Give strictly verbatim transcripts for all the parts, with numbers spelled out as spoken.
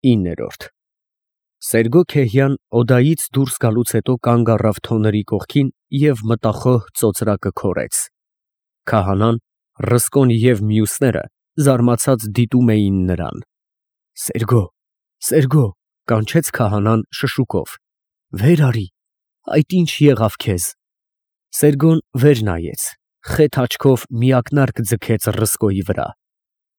ինը Սերգո-Քեհյան օդայից դուրս գալուց հետո կանգ առավ թոնրի կողքին և մտախոհ ծոծրակը քորեց։ Քահանան, Ռսկոն և մյուսները զարմացած դիտում էին նրան։ Սերգո, Սերգո, կանչեց քահանան շշուկով, վեր արի, այդ ինչ եղավ քեզ։ Սերգոն վեր նայեց, խեթ աչքով մի ակնարկ ձգեց Ռսկոյի վրա,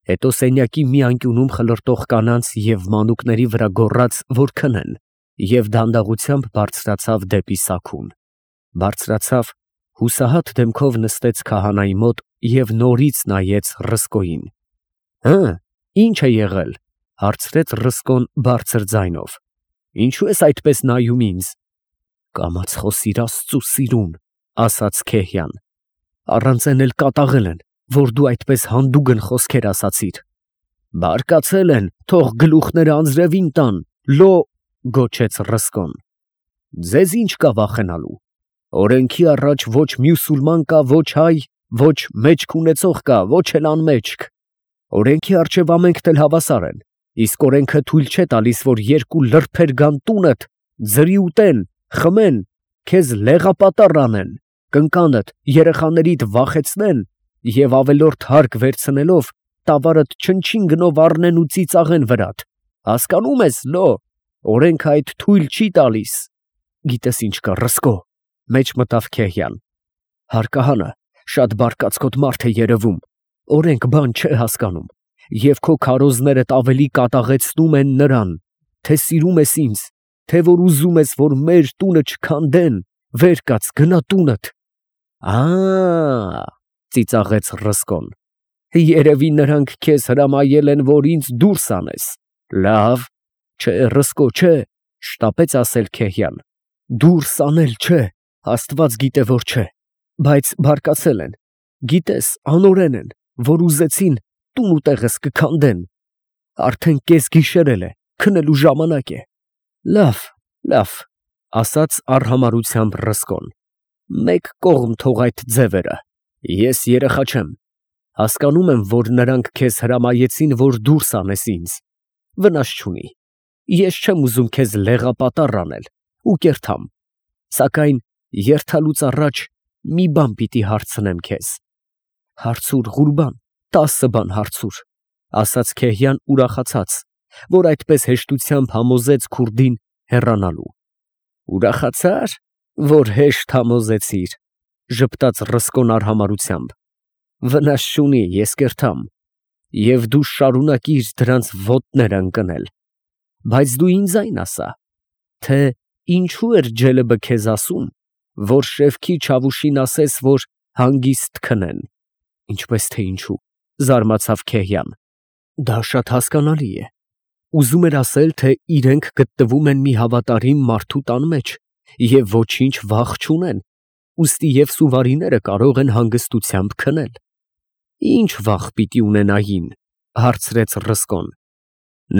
հետո սենյակի մի անկյունում խլրտող կանանց և մանուկների վրա գոռաց, որ քնեն, և դանդաղությամբ բարձրացավ դեպի սաքուն։ Բարձրացավ, հուսահատ դեմքով նստեց քահանայի մոտ և նորից նայեց Ռսկոյին։ Հը, ի՞նչ է եղել, հարցրեց Ռսկոն բարձր ձայնով։ Ինչո՞ւ ես այդպես նայում ինձ։ Կամաց խոսիր Աստծու սիրուն, ասաց Քեհյան, առանց էլ կատաղել են, որ դու այդպես հանդուգն խոսքեր ասացիր։ Բարկացել են, թող գլուխները անձրևին տան, լո, գոչեց Ռսկոն։ Ձեզ ինչ կա վախենալու։ Օրենքի առաջ ոչ մյուսուլման կա, ոչ հայ, ոչ մեջք ունեցող կա, ոչ էլ անմեջք։ Օրենքի առջև ամենքն էլ հավասար են, իսկ օրենքը թույլ չէ տալիս, որ երկու լրբեր գան տունդ, ձրի ուտեն, խմեն, քեզ լեղապատառ անեն, կնկանդ, երեխաներիդ վախեցնեն և ավելորդ հարկ վերցնելով տավարդ չնչին գնով առնեն ու ծիծաղեն վրադ, հասկանում ես, լո, օրենքը այդ թույլ չի տալիս։ Գիտես ինչ կա, Ռսկո, մեջ մտավ Քեհյան, հարկահանը շատ բարկացկոտ մարդ է երևում, օրենք բան չէ հասկանում, և քո քարոզներդ ավելի կատաղեցնում են նրան, թե սիրում ես ինձ, թե որ ուզում ես, որ մեր տունը չքանդեն, վեր կաց, գնա տունդ։ Ա, ծիծաղեց Ռսկոն, երևի նրանք քեզ հրամայել են, որ ինձ դուրս անես։ Լավ, չէ, Ռսկո, չէ, շտապեց ասել Քեհյան, դուրս անել չէ, Աստված գիտե, որ չէ, բայց բարկացել են, գիտես, անօրեն են, որ ուզեցին տուն ու տեղս կքանդեն։ Արդեն կես գիշերել է, քնելու ժամանակ է։ Լավ, լավ, ասաց արհամարհությամբ Ռսկոն, մեկ կողմ թող այդ ձևերը, ես երեխա չեմ, հասկանում եմ, որ նրանք քեզ հրամայեցին, որ դուրս անես ինձ, վնաս չունի, ես չեմ ուզում քեզ լեղապատառ անել ու կերթամ, սակայն երթալուց առաջ մի բան պիտի հարցնեմ քեզ։ Հարցուր, Ղուրբան, տասը բան հարցուր, ասաց Քեհյան ուրախացած, որ այդպես հեշտությամբ համոզեց քուրդին հեռանալու։ Ուրախացա՞ր, որ հեշտ համոզեցիր, ժպտաց Ռսկոն արհամարհությամբ։ Վնաս չունի, ես կերթամ, և դու շարունակիր դրանց ոտներ ընկնել, բայց դու ինձ այն ասա, թե ինչու էր Ջելեբը քեզ ասում, որ Շևքի Չավուշին ասես, որ հանգիստ քնեն։ Ինչպես թե ինչու, զարմացավ Քեհյան, դա շատ հասկանալի է, ուզում էր ասել, թե իրենք գտնվում են մի հավատարիմ մարդու տան մեջ և ոչինչ վախ չունեն, ուստի և սուվարիները կարող են հանգստությամբ քնել։ Ինչ վախ պիտի ունենային, հարցրեց Ռսկոն։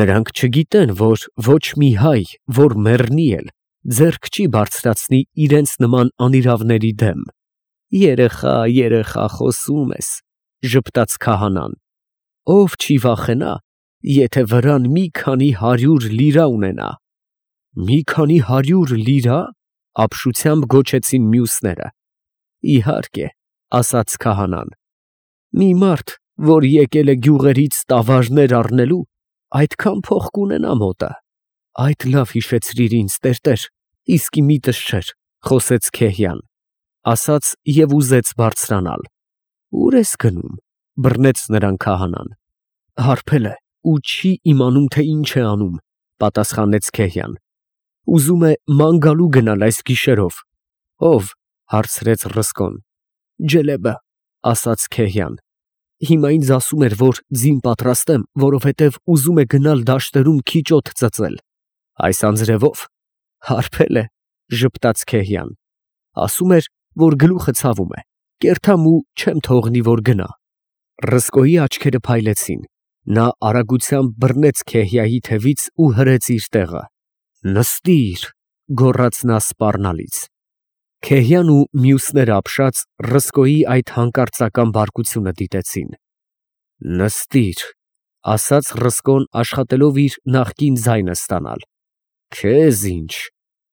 Նրանք չգիտեն, որ ոչ մի հայ, որ մեռնի էլ, ձեռք չի բարձրացնի իրենց նման անիրավների դեմ։ Երեխա, երեխա խոսում ես, ժպտաց քահանան, ով չի վախենա, եթե վրան մի քանի հարյուր լիրա ունենա։ Մի քանի հարյուր լիրա, ապշությամբ գոչեցին մյուսները։ Իհարկե, ասաց քահանան, մի մարդ, որ եկել է գյուղերից տավարներ առնելու, այդքան փող կունենա մոտը։ Այդ լավ հիշեցրիր ինձ, տերտեր, իսկի միտս չէր, խոսեց Քեհյան, ասաց և ուզեց բարձրանալ։ Ուր ես գնում, բռնեց նրան քահանան։ Հարբել է ու չի իմանում, թե ինչ է անում, պատասխանեց Քեհյան, ուզում է ման գալու գնալ այս գիշերով։ Ով, հարցրեց Ռսկոն։ Ջելեբը, ասաց Քեհյան, հիմա ինձ ասում էր, որ ձին պատրաստեմ, որովհետև ուզում է գնալ դաշտերում քիչ օդ ծծել։ Այս անձրևով, հարբել է, ժպտաց Քեհյան, ասում էր, որ գլուխը ցավում է, կերթամ ու չեմ թողնի, որ գնա։ Ռսկոյի աչքերը փայլեցին, նա արագությամբ բռնեց Քեհյայի թևից ու հրեց իր տեղը։ Նստիր, գոռաց նա սպառնալից։ Քեհյան ու մյուսները ապշած Ռսկոյի այդ հանկարծական բարկությունը դիտեցին։ Նստիր, ասաց Ռսկոն աշխատելով իր նախկին ձայնը ստանալ։ Քեզ ինչ,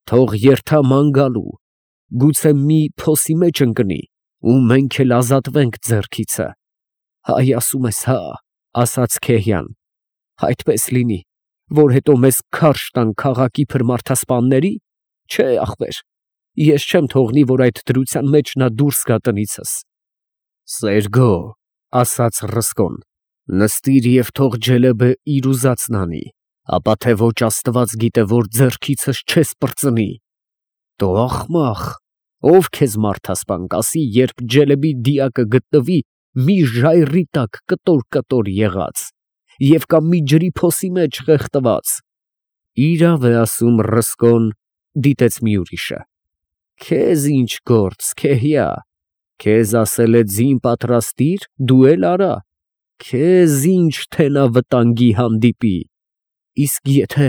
թող երթա ման գալու, գուցե մի փոսի մեջ ընկնի, ու մենք էլ ազատվենք ձեռքիցը։ Հայ ասում ես, հա, ասաց Քեհիան, այդպես լինի, որ հետո մեզ քարշ տան քաղաքի փրմարդասպանների, չէ, ախպեր, ես չեմ թողնի, որ այդ դրության մեջ նա դուրս գա տնիցս։ Սերգո, ասաց Ռսկոն, նստիր և թող Ջելեբը իր ուզածն անի, ապա թե ոչ Աստված գիտե, որ ձեռքիցս չես պրծնի։ Դու ախմախ, ով քեզ մարդասպան կասի, երբ Ջելեբի դիակը գտնվի մի ժայռի տակ կտոր-կտոր եղած, և կամ մի ջրի փոսի մեջ խեղդված։ Իրավ է ասում Ռսկոն, դիտեց մի ուրիշը։ Քեզ ինչ գործ, Քեհիա, քեզ ասել է ձին պատրաստիր, դու էլ արա, քեզ ինչ թե նա վտանգի հանդիպի։ Իսկ եթե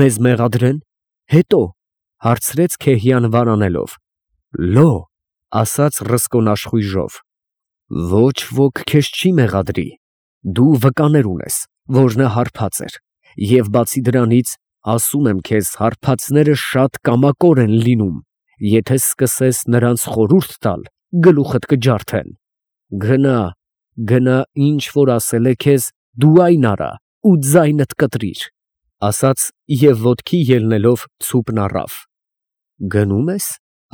մեզ մեղադրեն, հետո, հարցրեց Քեհիան վարանելով։ Լո, ասաց Ռսկոն աշխույժով, ոչ ոք քեզ չի մեղադրի, դու վկաներ ունես, որ նա հարբած էր, և բացի դրանից, ասում եմ քեզ, հարբածները շատ կամակոր են լինում, եթե սկսես նրանց խորհուրդ տալ, գլուխդ կջարդեն։ Գնա, գնա, ինչ որ ասել է քեզ, դու այն արա ու ձայնդ կտրիր, ասաց և ոտքի ելնելով ցուպն առավ։ Գնում ես,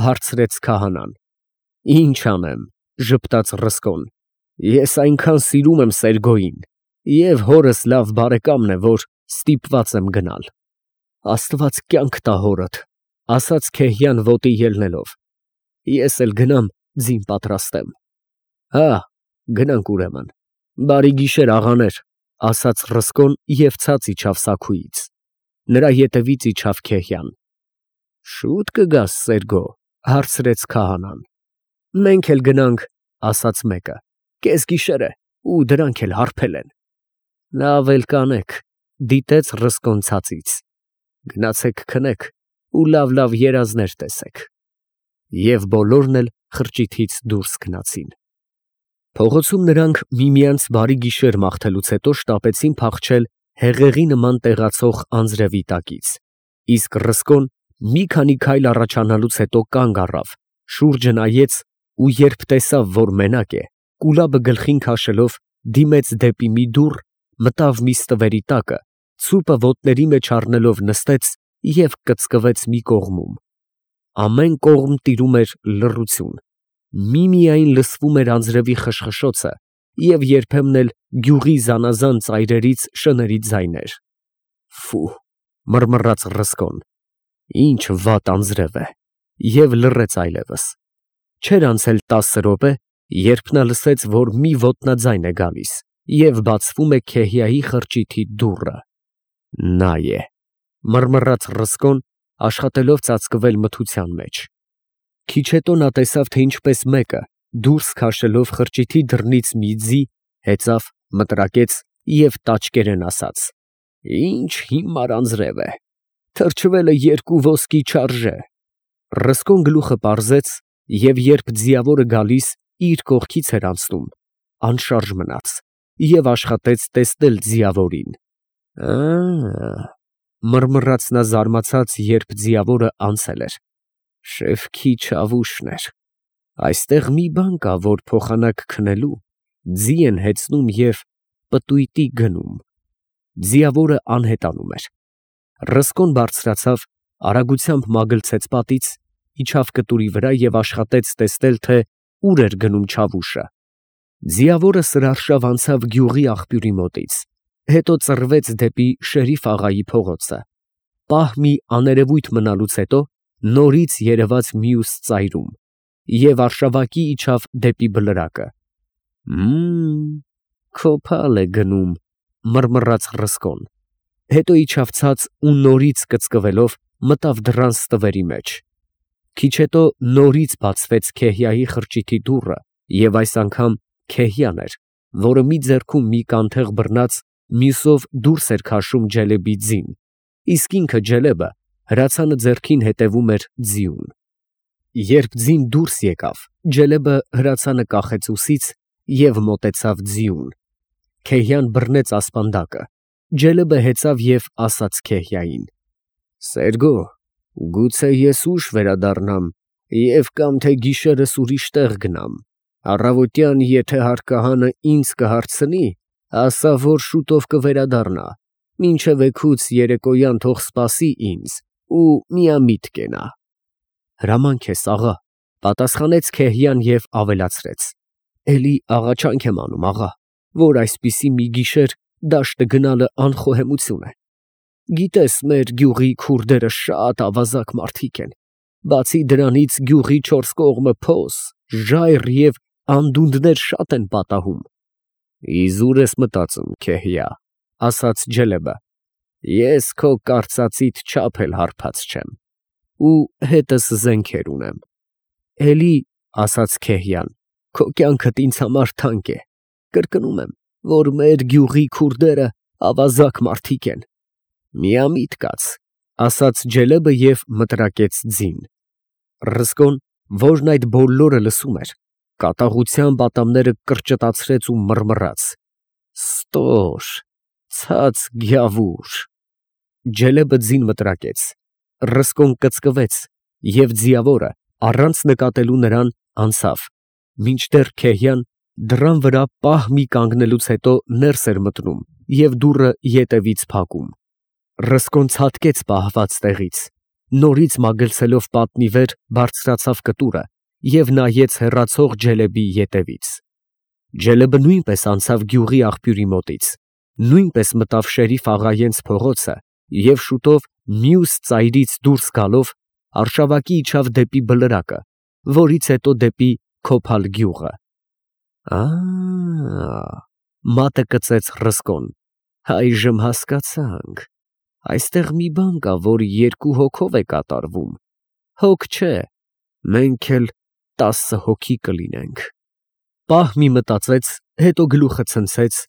հարցրեց քահանան։ Ինչ անեմ, ժպտաց Ռսկոն, ես այնքան սիրում եմ Սերգոյին, և հորս լավ բարեկամն է, որ ստիպված եմ գնալ։ Աստված կյանք տա հորդ, ասաց Քեհիան ոտի ելնելով, ես էլ գնամ ձին պատրաստեմ։ Հա, գնանք ուրեմն, բարի գիշեր, աղաներ, ասաց Ռսկոն և ցած իջավ սաքույից։ Նրա ետևից իջավ Քեհիան։ Շուտ կգաս, Սերգո, հարցրեց քահանան։ Մենք էլ գնանք, ասաց մեկը, կեսգիշեր է, ու դրանք էլ հարբել են։ Լավ էլ կանեք, դիտեց Ռսկոն ցածից։ Գնացեք քնեք ու լավ-լավ երազներ տեսեք։ Եվ բոլորն էլ խրճիթից դուրս գնացին։ Փողոցում նրանք միմյանց բարի գիշեր մաղթելուց հետո շտապեցին փախչել հեղեղի նման տեղացող անձրևի տակից, իսկ Ռսկոն մի քանի քայլ առաջանալուց հետո կանգ առավ, շուրջը նայեց ու երբ տեսավ, որ մենակ է, կուլաբը գլխին քաշելով դիմեց դեպի մի դուռ, մտավ մի ստվերի տակը, ցուպը ոտների մեջ առնելով նստեց և կծկվեց մի կողմում։ Ամեն կողմ տիրում էր լռություն, միմիայն լսվում էր անձրևի խշխշոցը և երբեմն էլ գյուղի զանազան ծայրերից շների ձայներ։ Ֆու, մռմռաց Ռսկոն, ինչ վատ անձրև է, և լռեց այլևս։ Չէր անցել տասը րոպե, երբ նա լսեց, որ մի ոտնաձայն է գալիս և բացվում է Քեհիայի խրճիթի դուռը։ Նա է, մռմռաց Ռսկոն, աշխատելով ծածկվել մթության մեջ։ Քիչ հետո նա տեսավ, թե ինչպես մեկը, դուրս քաշելով խրճիթի դռնից մի ձի, հեծավ, մտրակեց և տաճկերեն ասաց. Ինչ հիմար անձրև է, թրջվելը երկու ոսկի չարժե։ Ռսկոն գլուխը պարզեց և երբ ձիավորը գալիս իր կողքից էր անցնում, անշարժ մնաց և աշխատեց տեսնել ձիավորին։ Ա, մռմռաց նա զարմացած, երբ ձիավորը անցել էր։ Շևքի չավուշն էր։ Այստեղ մի բան կա, որ փոխանակ քնելու ձի են հեծնում և պտույտի գնում։ Ձիավորը անհետանում էր։ Ռսկոն բարձրացավ, արագությամբ մագլցեց պատից, իջավ կտուրի վրա և աշխատեց տեսնել, թե ուր էր գնում չավուշը։ Ձիավորը սրարշավ անցավ գյուղի աղբյուրի մոտից, հետո ծռվեց դեպի Շերիֆ աղայի փողոցը։ Պահ մի աներևույթ մնալուց հետո նորից երևաց մյուս ծայրում և արշավակի իջավ դեպի բլրակը։ Մմ, քոփալ է գնում, մռմռաց Ռսկոն, հետո իջավ ցած ու նորից կծկվելով մտավ դռան ստվերի մեջ։ Քիչ հետո նորից բացվեց Քեհիայի խրճիթի դուռը և այս անգամ Քեհիան էր, որը մի ձեռքում մի կանթեղ բռնած, մյուսով դուրս էր քաշում Ջելեբի ձին, իսկ ինքը Ջելեբը հրացանը ձեռքին հետևում էր ձիուն։ Երբ ձին դուրս եկավ, Ջելեբը հրացանը կախեց ուսից և մոտեցավ ձիուն։ Քեհիան բռնեց ասպանդակը, Ջելեբը հեծավ և ասաց Քեհիային. «Սերգո, գուցե ես ուշ վերադառնամ և կամ թե գիշերս ուրիշ տեղ գնամ, առավոտյան եթե հարկահանը ինձ կհարցնի, ասա, որ շուտով կվերադառնա, մինչև էգուց երեկոյան թող սպասի ինձ ու միամիտ կենա»։ «Հրամանք ես, աղա», պատասխանեց Քեհիան և ավելացրեց. «Էլի աղաչանք եմ անում, աղա, որ այսպիսի մի գիշեր դաշտը գնալը անխոհեմություն է։ Գիտես, մեր գյուղի քուրդերը շատ ավազակ մարդիկ են, բացի դրանից գյուղի չորս կողմը փոս, ժայռ և անդունդներ շատ են պատահում»։ «Իզուր ես մտածում, Քեհիա», ասաց Ջելեբը, «ես քո կարծածիդ չափ էլ հարբած չեմ ու հետս զենքեր ունեմ»։ «Էլի, ֊ ասաց Քեհիան, ֊ քո կյանքդ ինձ համար թանկ է, կրկնում եմ, որ մեր գյուղի քուրդերը ավազակ մարդիկ են»։ «Միամիտ կաց», ֊ ասաց Ջելեբը և մտրակեց ձին։ Ռզկոն, որն այդ բոլորը լսում էր, կատաղությամբ ատամները կրճտացրեց ու մռմռաց. «Ստոր, ցած գյավուր»։ Ջելեբը ձին մտրակեց, Ռզկոն կծկվեց և ձիավորը, առանց նկատելու նրան, անցավ, մինչդեռ Քեհիան դռան վրա պահ մի կանգնելուց հետո ներս էր մտնում և դուռը ետևից փակում։ Ռզկոն ցատկեց պահված տեղից, նորից մագլցելով պատնի վեր բարձրացավ կտուրը և նայեց հեռացող Ջելեբի ետևից։ Ջելեբը նույնպես անցավ գյուղի աղբյուրի մոտից, նույնպես մտավ Շերիֆ աղայենց փողոցը և շուտով մյուս ծայրից դուրս գալով արշավակի իջավ դեպի բլրակը, որից հետո դեպի Քոփալ գյուղը։ «Ա, մատը կծեց Ռզկոն, այժմ հասկացանք, այստեղ մի բան կա, որ երկու հոգով է կատարվում, հոգ չէ, մենք էլ տասը հոգի կլինենք»։ Պահ մի մտածեց, հետո գլուխը ցնցեց,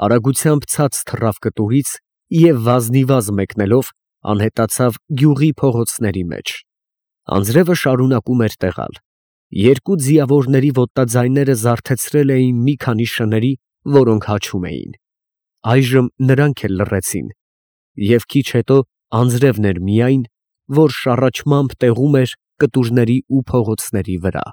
արագությամբ ցած թռավ կտուրից և վազնիվազ մեկնելով անհետացավ գյուղի փողոցների մեջ։ Անձրևը շարունակում էր տեղալ, երկու ձիավորների ոտնաձայները զարթեցրել էին մի քանի շների, որոնք հաչում էին։ Այժմ նրանք էլ լռեցին, և քիչ հետո անձրևն էր միայն, որ շառաչմամբ տեղում էր կտուրների ու փողոցների վրա։